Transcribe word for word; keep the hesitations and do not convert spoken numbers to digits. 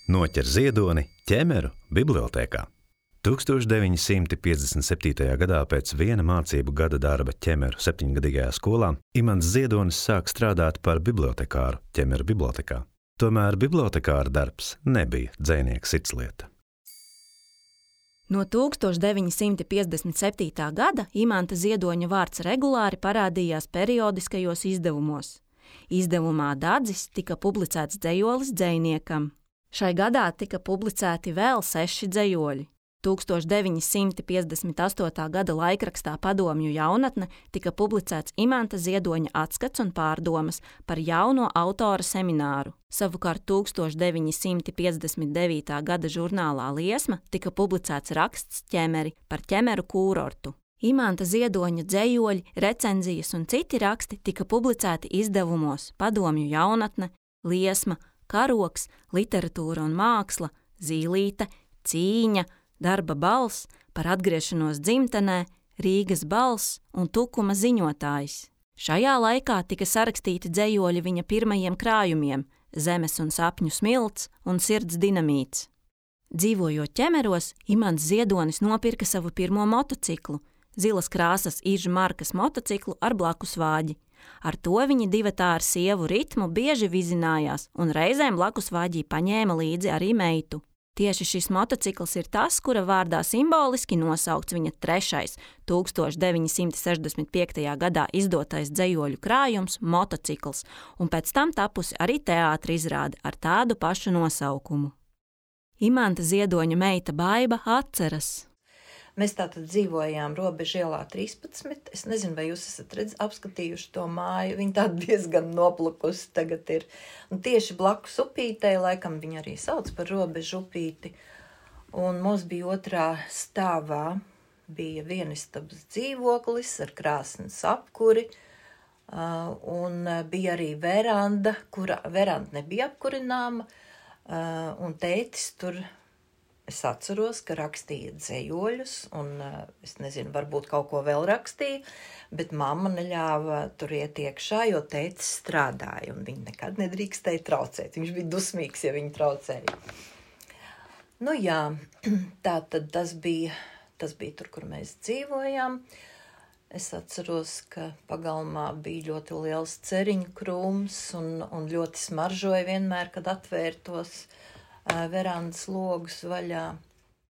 Noķer ziedoni ķemeru bibliotēkā. tūkstoš deviņi simti piecdesmit septītajā gadā pēc viena mācību gada darba ķemeru septiņgadīgajā skolā Imants Ziedonis sāk strādāt par bibliotekāru ķemeru bibliotekā. Tomēr bibliotekāra darbs nebija dzejnieka sirdslieta. No tūkstoš deviņi simti piecdesmit septītā gada Imanta Ziedoņa vārds regulāri parādījās periodiskajos izdevumos. Izdevumā Dadzis tika publicēts dzejolis dzejniekam. Šai gadā tika publicēti vēl seši dzejoļi. tūkstoš deviņi simti piecdesmit astotā gada laikrakstā Padomju jaunatne tika publicēts Imanta Ziedoņa atskats un pārdomas par jauno autora semināru. Savukārt tūkstoš deviņi simti piecdesmit devītā gada žurnālā Liesma tika publicēts raksts Ķemeri par ķemeru kūrortu. Imanta Ziedoņa dzejoļi, recenzijas un citi raksti tika publicēti izdevumos Padomju jaunatne, Liesma, Karoks, Literatūra un māksla, Zīlīte, Cīņa, Darba balss, Par atgriešanos dzimtenē, Rīgas balss un Tukuma ziņotājs. Šajā laikā tika sarakstīti dzejoļi viņa pirmajiem krājumiem Zemes un sapņu smilts un Sirds dinamīts. Dzīvojot ķemeros, Imants Ziedonis nopirka savu pirmo motociklu, zilas krāsas Iža markas motociklu ar blakus vāģi. Ar to viņi divatā ar sievu Ritmu bieži vizinājās, un reizēm blakus vāģī paņēma līdzi arī meitu. Tieši šis motocikls ir tas, kura vārdā simboliski nosaukts viņa trešais, tūkstoš deviņi simti sešdesmit piektajā gadā izdotais dzejoļu krājums Motocikls, un pēc tam tapusi arī teātra izrāde ar tādu pašu nosaukumu. Imanta Ziedoņa meita Baiba atceras. Mēs tātad dzīvojām Robežu ielā trīspadsmit. Es nezinu, vai jūs esat redz, apskatījuši to māju. Viņa tāda diezgan noplukusi tagad ir. Un tieši blakus upītei, laikam viņa arī sauc par Robežu upīti. Un mums bija otrā stāvā, bija vienistabas dzīvoklis ar krāsnes apkuri. Un bija arī veranda, kura veranda nebija apkurināma. Un tētis tur... Es atceros, ka rakstīja dzejoļus, un es nezinu, varbūt kaut ko vēl rakstīja, bet mamma neļāva tur iet iekšā, jo tētis strādāja, un viņa nekad nedrīkstēja traucēt. Viņš bija dusmīgs, ja viņa traucēja. Nu jā, tā tad tas bija, tas bija tur, kur mēs dzīvojām. Es atceros, ka pagalmā bija ļoti liels ceriņu krūms, un, un ļoti smaržoja vienmēr, kad atvērtos verandas logus vaļā.